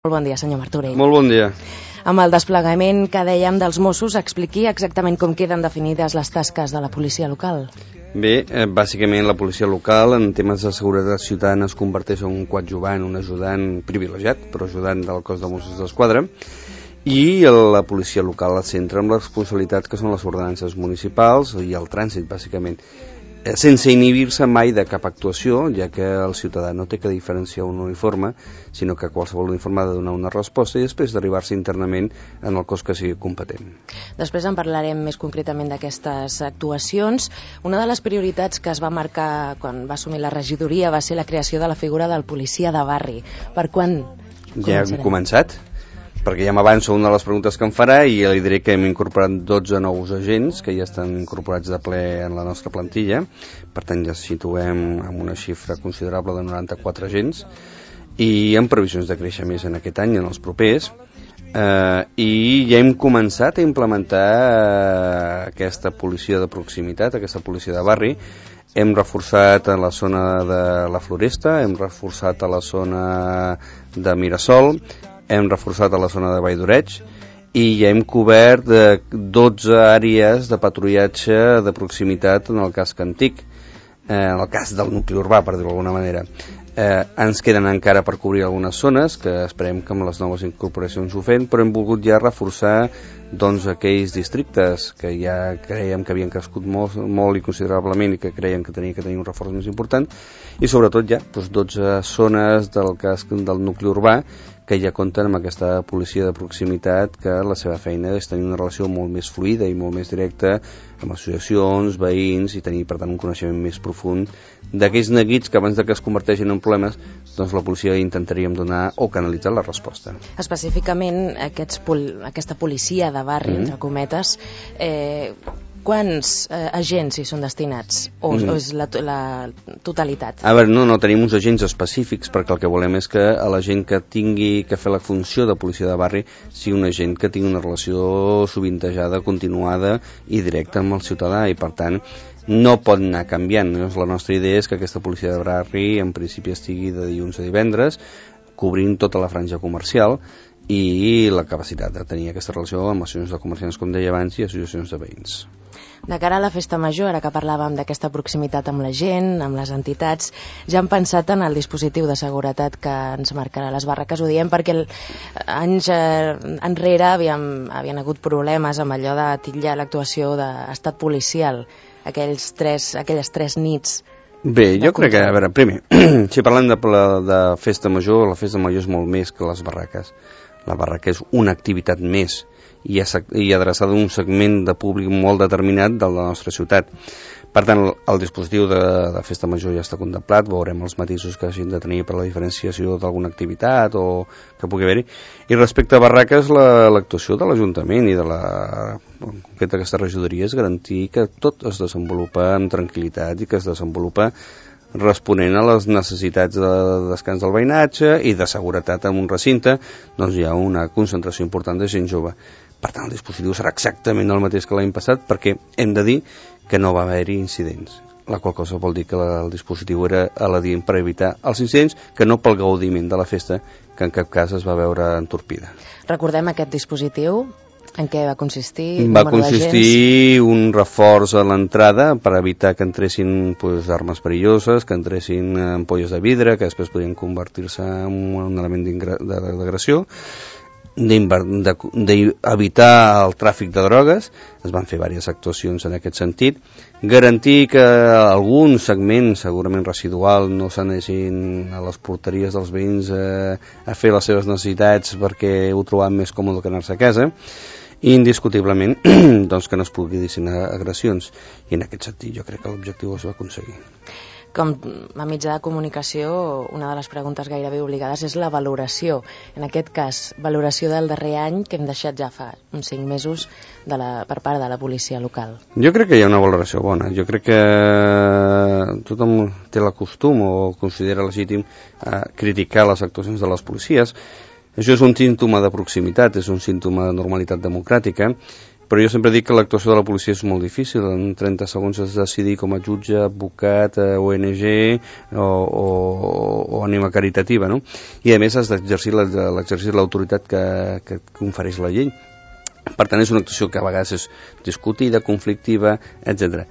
Molt bon dia, senyor Martorell. Molt bon dia. Amb el desplegament que dèiem dels Mossos, expliqui exactament com queden definides les tasques de la policia local. Bé, bàsicament la policia local en temes de seguretat ciutadana es converteix en un coadjuvant, un ajudant privilegiat, però ajudant del cos de Mossos d'Esquadra, i la policia local es centra en les responsabilitats que són les ordenances municipals i el trànsit, bàsicament, sense inhibir-se mai de cap actuació, ja que el ciutadà no té que diferenciar un uniforme, sinó que qualsevol uniforme ha de donar una resposta i després d'arribar-se internament en el cos que sigui competent. Després en parlarem més concretament d'aquestes actuacions. Una de les prioritats que es va marcar quan va assumir la regidoria va ser la creació de la figura del policia de barri. Per quan començarem? Ja hem començat, perquè ja m'avanço una de les preguntes que em farà i ja li diré que hem incorporat 12 nous agents que ja estan incorporats de ple en la nostra plantilla. Per tant ja situem amb una xifra considerable de 94 agents i amb previsions de créixer més en aquest any, en els propers, i ja hem començat a implementar aquesta policia de proximitat, aquesta policia de barri. Hem reforçat a la zona de la Floresta, hem reforçat a la zona de Mirasol, hem reforçat a la zona de Vall d'Oreig i ja hem cobert 12 àrees de patrullatge de proximitat en el casc antic, en el cas del nucli urbà, per dir-ho d'alguna manera. Ens queden encara per cobrir algunes zones, que esperem que amb les noves incorporacions ho fem, però hem volgut ja reforçar aquells districtes que ja creiem que havien crescut molt i considerablement i que creiem que tenien que tenir un reforç més important, i sobretot ja 12 zones del casc del nucli urbà que ja compten amb aquesta policia de proximitat, que la seva feina és tenir una relació molt més fluida i molt més directa amb associacions, veïns, i tenir per tant un coneixement més profund d'aquells neguits que abans de que es converteixin en problemes, doncs la policia intentaríem donar o canalitzar la resposta. Específicament aquesta policia de barri, entre cometes, quants agents hi són destinats? O és la totalitat? A veure, no tenim uns agents específics, perquè el que volem és que la gent que tingui que fer la funció de policia de barri sigui un agent que tingui una relació sovintejada, continuada i directa amb el ciutadà, i per tant no pot anar canviant. La nostra idea és que aquesta policia de barri en principi estigui de dilluns a divendres, cobrint tota la franja comercial, i la capacitat de tenir aquesta relació amb associacions de comerciants, com deia abans, i associacions de veïns. De cara a la festa major, ara que parlàvem d'aquesta proximitat amb la gent, amb les entitats, ja han pensat en el dispositiu de seguretat que ens marcarà les barraques. Ho diem perquè anys enrere havien hagut problemes amb allò de titllar l'actuació d'estat policial, aquelles tres nits. Bé, jo crec que, a veure, primer, si parlem de festa major, la festa major és molt més que les barraques. La barraca és una activitat més i adreçada a un segment de públic molt determinat de la nostra ciutat. Per tant, el dispositiu de festa major ja està contemplat, veurem els matisos que hagin de tenir per la diferenciació d'alguna activitat o que pugui haver-hi. I respecte a barraques, l'actuació de l'Ajuntament i de aquesta regidoria és garantir que tot es desenvolupa amb tranquil·litat i que es desenvolupa responent a les necessitats de descans del veïnatge i de seguretat en un recinte. Doncs hi ha una concentració important de gent jove. Per tant, el dispositiu serà exactament el mateix que l'any passat, perquè hem de dir que no va haver-hi incidents, la qual cosa vol dir que el dispositiu era aladient per evitar els incidents, que no pel gaudiment de la festa, que en cap cas es va veure entorpida. Recordem aquest dispositiu. En què va consistir? Va consistir un reforç a l'entrada per evitar que entressin armes perilloses, que entressin ampolles de vidre, que després podien convertir-se en un element d'agressió, d'evitar el tràfic de drogues. Es van fer diverses actuacions en aquest sentit, garantir que algun segment segurament residual no s'anessin a les porteries dels veïns a fer les seves necessitats perquè ho trobaven més còmode que anar-se a casa, i indiscutiblement doncs que no es pugui dissenyar agressions, i en aquest sentit jo crec que l'objectiu es va aconseguir. Com a mitjà de comunicació, una de les preguntes gairebé obligades és la valoració. En aquest cas, valoració del darrer any que hem deixat ja fa uns 5 mesos per part de la policia local. Jo crec que hi ha una valoració bona. Jo crec que tothom té la costum o considera legítim criticar les actuacions de les policies. Això és un símptoma de proximitat, és un símptoma de normalitat democràtica, però jo sempre dic que l'actuació de la policia és molt difícil. En 30 segons has de decidir com a jutge, advocat, ONG o ànima caritativa, no? I a més has d'exercir l'exercici de l'autoritat que confereix la llei. Per tant, és una actuació que a vegades és discutida, conflictiva, etc.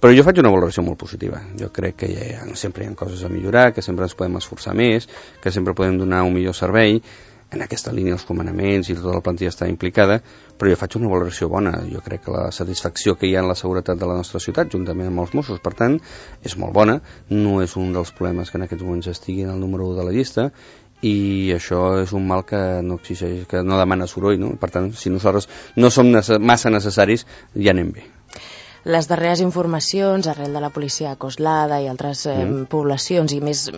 Però jo faig una valoració molt positiva. Jo crec que sempre hi ha coses a millorar, que sempre ens podem esforçar més, que sempre podem donar un millor servei. En aquesta línia els comandaments i tota la plantilla està implicada, però jo faig una valoració bona. Jo crec que la satisfacció que hi ha en la seguretat de la nostra ciutat, juntament amb els Mossos, per tant, és molt bona. No és un dels problemes que en aquests moments estigui en el número 1 de la llista, i això és un mal que no exigeix, que no demana soroll, no? Per tant, si nosaltres no som massa necessaris, ja anem bé. Les darreres informacions arrel de la policia a Coslada i altres poblacions i més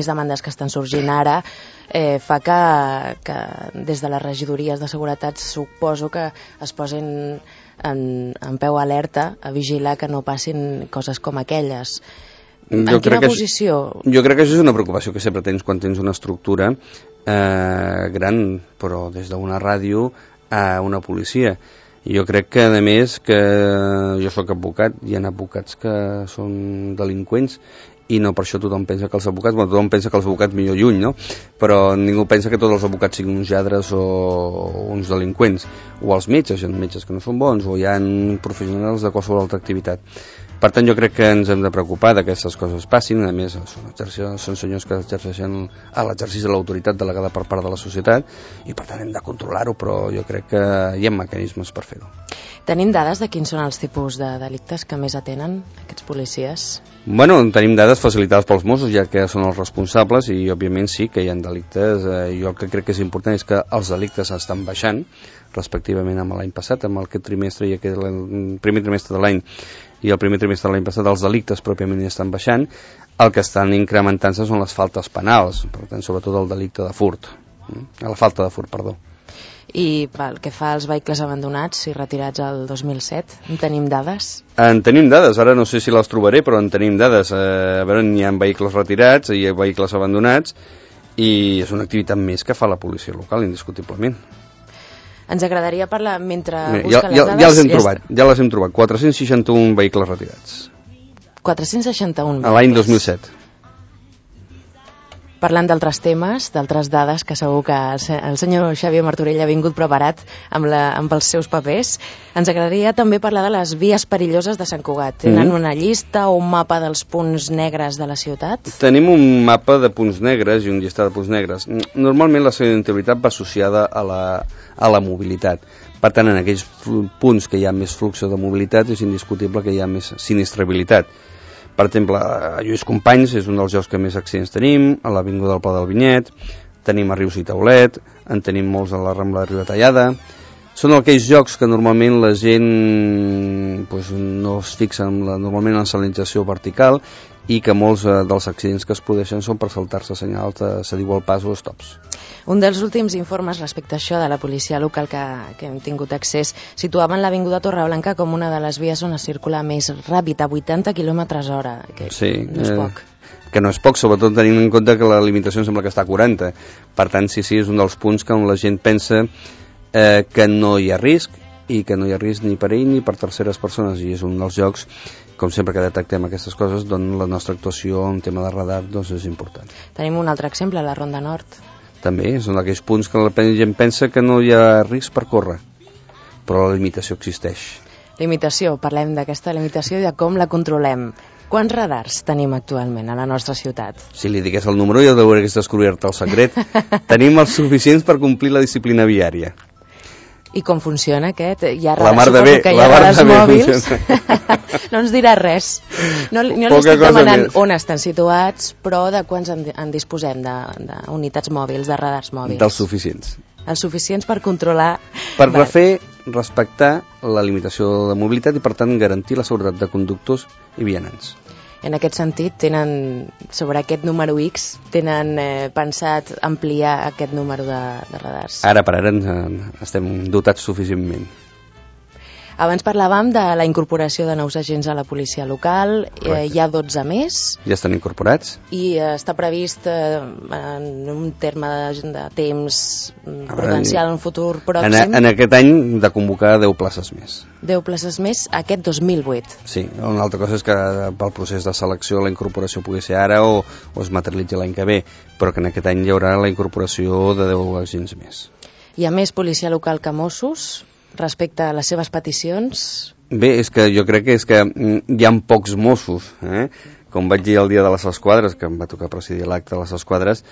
demandes que estan sorgint ara fa que des de les regidories de seguretat suposo que es posin en peu alerta a vigilar que no passin coses com aquelles. En quina posició? Jo crec que això és una preocupació que sempre tens quan tens una estructura gran, però des d'una ràdio a una policia. Jo crec que, a més, que jo sóc advocat, hi ha advocats que són delinqüents i no per això tothom pensa que els advocats, tothom pensa que els advocats millor lluny, no? Però ningú pensa que tots els advocats siguin uns lladres o uns delinqüents, o els metges, hi ha metges que no són bons, o hi ha professionals de qualsevol altra activitat. Per tant, jo crec que ens hem de preocupar que aquestes coses passin. A més, són senyors que exerceixen l'exercici de l'autoritat delegada per part de la societat i per tant hem de controlar-ho, però jo crec que hi ha mecanismes per fer-ho. Tenim dades de quins són els tipus de delictes que més atenen aquests policies? Bueno, tenim dades facilitades pels Mossos, ja que són els responsables, i òbviament sí que hi ha delictes. Jo el que crec que és important és que els delictes estan baixant respectivament amb l'any passat, amb aquest trimestre i el primer trimestre de l'any i el primer trimestre de l'any passat els delictes pròpiament estan baixant. El que estan incrementant-se són les faltes penals, per tant, sobretot el delicte de furt, la falta de furt, perdó. I pel que fa als vehicles abandonats i retirats al 2007, en tenim dades? En tenim dades, ara no sé si les trobaré, però en tenim dades. A veure, hi ha vehicles retirats, hi ha vehicles abandonats, i és una activitat més que fa la policia local, indiscutiblement. Ens agradaria parlar, mentre busca les dades... Ja les hem trobat, 461 vehicles retirats. 461 a l'any 2007. Parlant d'altres temes, d'altres dades, que segur que el senyor Xavier Martorell ha vingut preparat amb els seus papers, ens agradaria també parlar de les vies perilloses de Sant Cugat. Tenen una llista o un mapa dels punts negres de la ciutat? Tenim un mapa de punts negres i un llistat de punts negres. Normalment la accidentalitat va associada a la mobilitat. Per tant, en aquells punts que hi ha més flux de mobilitat és indiscutible que hi ha més sinistrabilitat. Per exemple, a Lluís Companys és un dels llocs que més accidents tenim, a l'Avinguda del Pla del Vinyet, tenim a Rius i Taulet, en tenim molts a la Rambla de Ribatallada. Són aquells llocs que normalment la gent no es fixa normalment en la senyalització vertical i que molts dels accidents que es produeixen són per saltar-se senyals de cediu al pas o stops. Un dels últims informes respecte a això de la policia local que hem tingut accés situaven l'Avinguda Torreblanca com una de les vies on es circula més ràpid, a 80 km/h, que sí, no és poc. Que no és poc, sobretot tenint en compte que la limitació sembla que està a 40. Per tant, sí, és un dels punts on la gent pensa que no hi ha risc, i que no hi ha risc ni per ell ni per terceres persones, i és un dels llocs, com sempre que detectem aquestes coses, on la nostra actuació en tema de radar és important. Tenim un altre exemple, la Ronda Nord. També, són aquells punts que la gent pensa que no hi ha risc per córrer, però la limitació existeix. Limitació, parlem d'aquesta limitació i de com la controlem. Quants radars tenim actualment a la nostra ciutat? Si li digués el número ja hauries descobert el secret. Tenim els suficients per complir la disciplina viària. I com funciona aquest? Hi ha la mar de bé, que hi ha radars mòbils. No ens dirà res. No li estic demanant on estan situats, però de quants en disposem d'unitats mòbils, de radars mòbils? Dels suficients. Els suficients per controlar... Per respectar la limitació de mobilitat i, per tant, garantir la seguretat de conductors i vianants. En aquest sentit, sobre aquest número X, tenen pensat ampliar aquest número de radars? Ara per ara estem dotats suficientment. Abans parlàvem de la incorporació de nous agents a la policia local, hi ha 12 més. Ja estan incorporats. I està previst en un terme de temps prudencial en un futur pròxim. En aquest any de convocar 10 places més. 10 places més aquest 2008. Sí, una altra cosa és que pel procés de selecció la incorporació pugui ser ara o es materialitzi l'any que ve, però que en aquest any hi haurà la incorporació de 10 agents més. Hi ha més policia local que Mossos respecte a les seves peticions? Bé, és que jo crec que hi ha pocs Mossos, Com vaig dir el dia de les esquadres, que em va tocar presidir l'acte de les esquadres,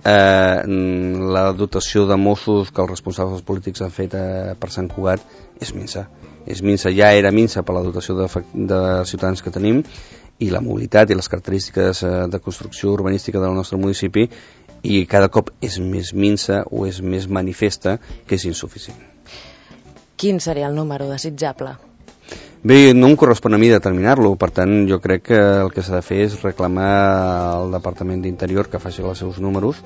la dotació de Mossos que els responsables polítics han fet per Sant Cugat és minsa. Ja era minsa per la dotació de ciutadans que tenim, i la mobilitat i les característiques de construcció urbanística del nostre municipi, i cada cop és més minsa o és més manifesta que és insuficient. Quin seria el número desitjable? Bé, no em correspon a mi determinar-lo, per tant jo crec que el que s'ha de fer és reclamar al Departament d'Interior que faci els seus números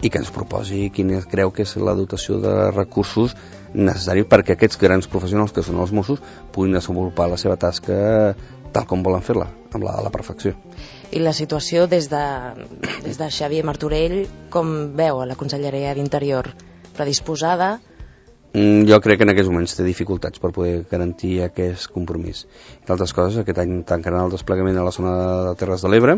i que ens proposi quina creu que és la dotació de recursos necessari perquè aquests grans professionals que són els Mossos puguin desenvolupar la seva tasca tal com volen fer-la, a la perfecció. I la situació des de Xavier Martorell, com veu a la Conselleria d'Interior? Predisposada? Jo crec que en aquests moments té dificultats per poder garantir aquest compromís. D'altres coses, aquest any tancaran el desplegament a la zona de Terres de l'Ebre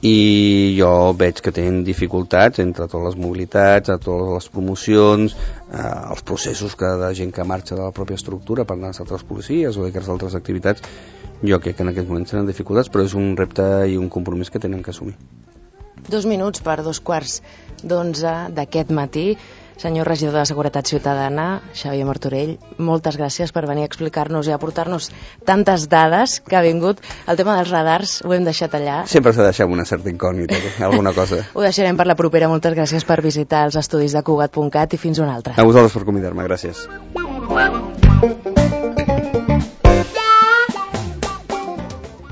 i jo veig que tenen dificultats entre totes les mobilitats, a totes les promocions, els processos de gent que marxa de la pròpia estructura per anar a altres policies o d'aquestes altres activitats. Jo crec que en aquests moments tenen dificultats, però és un repte i un compromís que tenen que assumir. 2 minuts per 2:15 d'aquest matí. Senyor regidor de Seguretat Ciutadana, Xavier Martorell, moltes gràcies per venir a explicar-nos i aportar-nos tantes dades que ha vingut. El tema dels radars ho hem deixat allà. Sempre s'ha de deixar una certa incògnita, alguna cosa. Ho deixarem per la propera. Moltes gràcies per visitar els estudis de Cugat.cat i fins una altra. A vosaltres per convidar-me, gràcies.